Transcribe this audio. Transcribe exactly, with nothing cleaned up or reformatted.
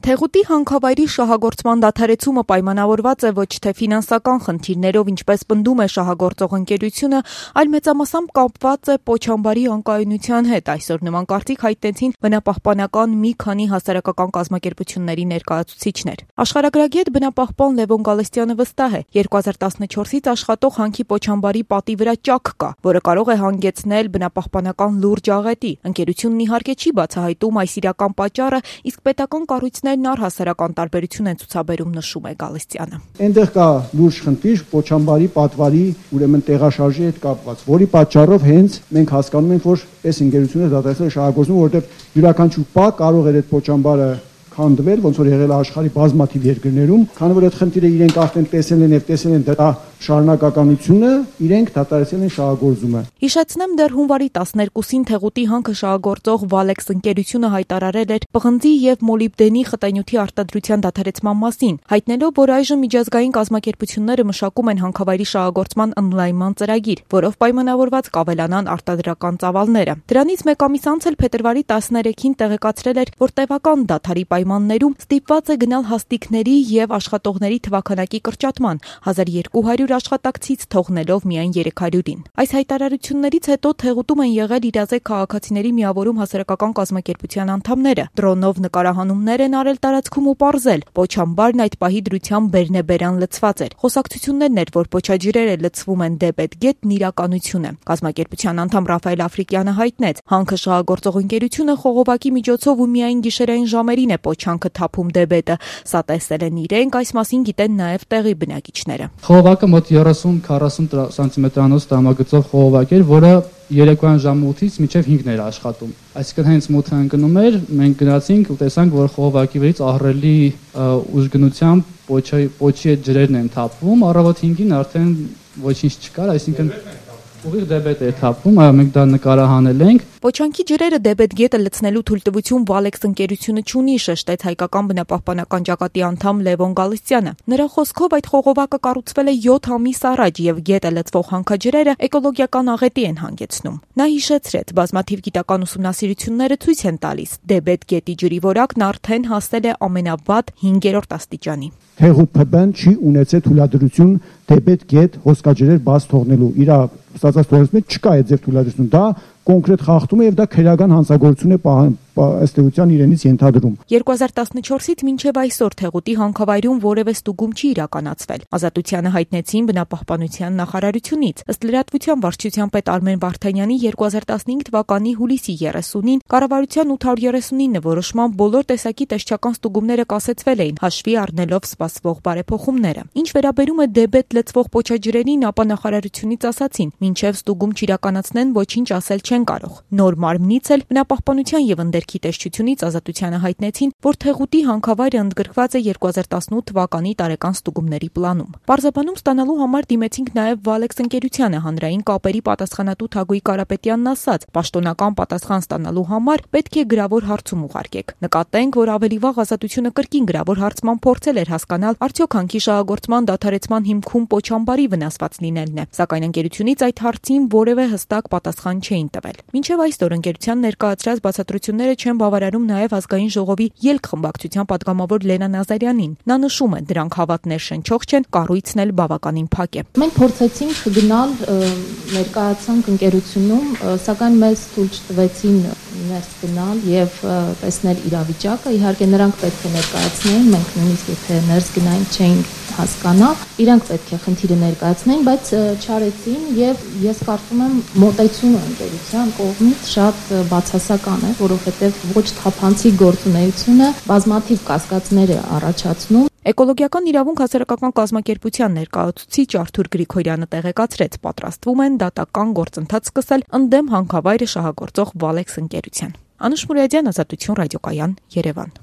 Թեղուտի հանքավայրի շահագործման դադարեցումը պայմանավորված է ոչ թե ֆինանսական խնդիրներով, ինչպես պնդում է շահագործող ընկերությունը, այլ մեծամասամբ կապված է Պոչամբարի անկայունության հետ։ Այսօր նման կարծիք հայտնեցին բնապահպանական մի քանի հասարակական կազմակերպությունների ներկայացուցիչներ։ Աշխարհագրագետ բնապահպան Լևոն Գալստյանը վստահ է, երկու հազար տասնչորսից աշխատող հանքի Պոչամբարի պատի վրա ճաք կա, որը կարող է հանգեցնել բնապահպանական լուրջ աղետի։ Ընկերությունն իհարկե չի բացահայտում այս իրական պատճառը, իսկ պետական կառույցներն առհասարական տարբերություն են ցուցաբերում, նշում է Գալստյանը։ Այնտեղ կա լուրջ խնդիր Պոչամբարի պատվարի, ուրեմն տեղաշարժի հետ կապված, որի պատճառով հենց մենք հասկանում ենք, որ այս ընկերությունը դադարեցել է շահագործումը, որովհետև յուրաքանչյուր պա կարող էր այդ Պոչամբարը քանդվել, ոնց որ եղել է աշխարհի բազմաթիվ երկրներում, քանի որ այդ խնդիրը իրենք արդեն տեսել են եւ տեսել են դրա շարունակականությունը, իրենք դադարեցել են շահագործումը։ Հիշեցնեմ, դեռ հունվարի տասներկուսին Թեղուտի հանքը շահագործող Վալեքս ընկերությունը հայտարարել էր պղնձի եւ մոլիբդենի խտանյութի արտադրության դադարեցման մասին, հայտնելով, որ այժմ միջազգային կազմակերպությունները մշակում են հանքավայրի շահագործման ընդլայնման ծրագիր, որով պայմանավորված կավելանան արտադրական ծավալները։ Դրանից մեկ ամիս անց էլ փետրվարի տասներեքին տեղեկացրել էր, որ տևական դադարի պայմաններում ստիպված է գնալ հաստիկների եւ աշխատողների թվաքանակի կրճատման, հազար երկու հարյուր աշխատակցից թողնելով միայն երեք հարյուրին։ Այս հայտարարություններից հետո Թեղուտում են եղել իրազեկ քաղաքացիների միավորում հասարակական կազմակերպության անդամները։ Դրոնով նկարահանումներ են արել տարածքում ու պարզել. Պոչամբարն այդ պահի դրությամբ բերնեբերան լցված էր։ Խոսակցություններն էր, որ պոչաջրերը լցվում են դեպետ գետն իրականություն է։ Կազմակերպության անդամ Ռաֆայել Աֆրիկյանը հայտնեց, հանքը շահագործող ընկերությունը խողովակի միջոցով ու միայն գիշերային ժամերին է պոչանքը թափում դեպետը։ Սա տեսել են իրենք, այս մասին գիտեն նաև տեղի բնակիչները։ Խողովակը մոտ երեսուն քառասուն սանտիմետրանոց տրամագծով խողովակ էր, որը երեկոյան ժամը ութից մինչև հինգն էր աշխատում։ Այսինքն հենց մութը ընկնում էր, մենք գնացինք ու տեսանք, որ խողովակի վրից ահռելի ուժգնությամբ պոչի պոչի այդ ջրերն են թափվում, առավոտ հինգին արդեն ոչինչ չկար, այսինքն ուղիղ դեպետ է թափում, այո, մենք դա նկարահանել ենք։ Պոչանքի ջրերը դեպետ գետը լցնելու թույլտվություն Վալեքս ընկերությունը չունի, շեշտեց հայկական բնապահպանական ճակատի անդամ Լևոն Գալստյանը։ Նրա խոսքով այդ խողովակը կառուցվել է յոթ ամիս առաջ եւ գետը լցվող հանքաջրերը էկոլոգիական աղետի են հանգեցնում։ Նա հիշեցրեց, բազմաթիվ գիտական ուսումնասիրությունները ցույց են տալիս, դեպետ գետի ջրի որակն արդեն հասել է ամենավատ հինգերորդ աստիճանի։ Թեղուտ ՓԲ-ն չի ունեցել թույլատրություն դեպետ գետ հոսքաջրեր բաց թողնելու։ Իր ստացած թողնությունից չկա այդ ձև թույլատրություն։ Դա կոնկրետ խախտում է եւ դա քրեական հանցագործություն է ըստ էության իրենից ենթադրում։ երկու հազար տասնչորսից մինչև այսօր Թեղուտի հանքավայրում որևէ ստուգում չի իրականացվել։ Ազատությանը հայտնեցին բնապահպանության նախարարությունից։ Ըստ լրատվության վարչության պետ Արմեն Վարդանյանի երկու հազար տասնհինգ թվականի հուլիսի երեսունին կառավարության ութ հարյուր երեսունինը որոշմամբ բոլոր տեսակի տեսչական ստուգումները կասեցվել էին, հաշվի առնելով սպասվող բարեփոխումները։ Ինչ վերաբերում է դեպետ լցվող պոչաջրերին, ապա նախարարությունից ասացին, մինչև ստուգում չիրականացնեն, ոչինչ ասել չեն կարող։ Նոր մարմնից էլ բնապահպանության եւ ընդերքի տեսչությունից Ազատությանը հայտնեցին, որ Թեղուտի հանքավայրը ընդգրկված է երկու հազար տասնութ թվականի տարեկան ստուգումների պլանում։ Պարզաբանում ստանալու համար դիմեցինք նաեւ Վալեքս ընկերությանը, հանրային կապերի պատասխանատու Թագուի Կարապետյանն ասաց, պաշտոնական պատասխան ստանալու համար պետք է գրավոր հարցում ուղարկեք։ Նկատենք, որ ավելի վաղ Ազատությունը կրկին գրավոր հարցման փորձել էր հասկանալ, արդյոք հանքի շահագործման դադարեցման հիմքում Պոչամբարի վնասված լինելն է, սակայն ընկերությունից այդ հարցին որևէ հստակ պատասխան չէին տվել։ Մինչև այսօր ընկերության ներկայացրած բացատրությունները չեն բավարարում նաև ազգային ժողովի ելք խմբակցության падգամավոր Լենա Նազարյանին։ Նա նշում է, դրանք հավատներ շնչող չեն, կառույցն էլ բավականին փակ է։ Մենք փորձեցինք գնալ ներկայացանք ընկերությունում, սակայն մեզ թույլ չտվեցին ներս գնալ եւ տեսնել իրավիճակը։ Իհարկե նրանք պետք է ներկայացնեին, մենք նույնիսկ եթե ներս գնային չէինք հասկանա, իրանք պետք է խնդիրը ներկայացնեին, բայց չարեցին եւ ես կարծում եմ մոտեցումը ընկերության կողմից շատ բացասական է, որովհետեւ ոչ թափանցիկ գործունեությունը բազմաթիվ կասկածներ է առաջացնում։ Էկոլոգիական իրավունք հասարակական կազմակերպության ներկայացուցիչ Արթուր Գրիգորյանը տեղեկացրեց, պատրաստվում են դատական գործընթաց սկսել ընդդեմ հանքավայրը շահագործող Վալեքս ընկերության։ Անուշ Մուրադյան, Ազատություն ռադիոկայան, Երևան։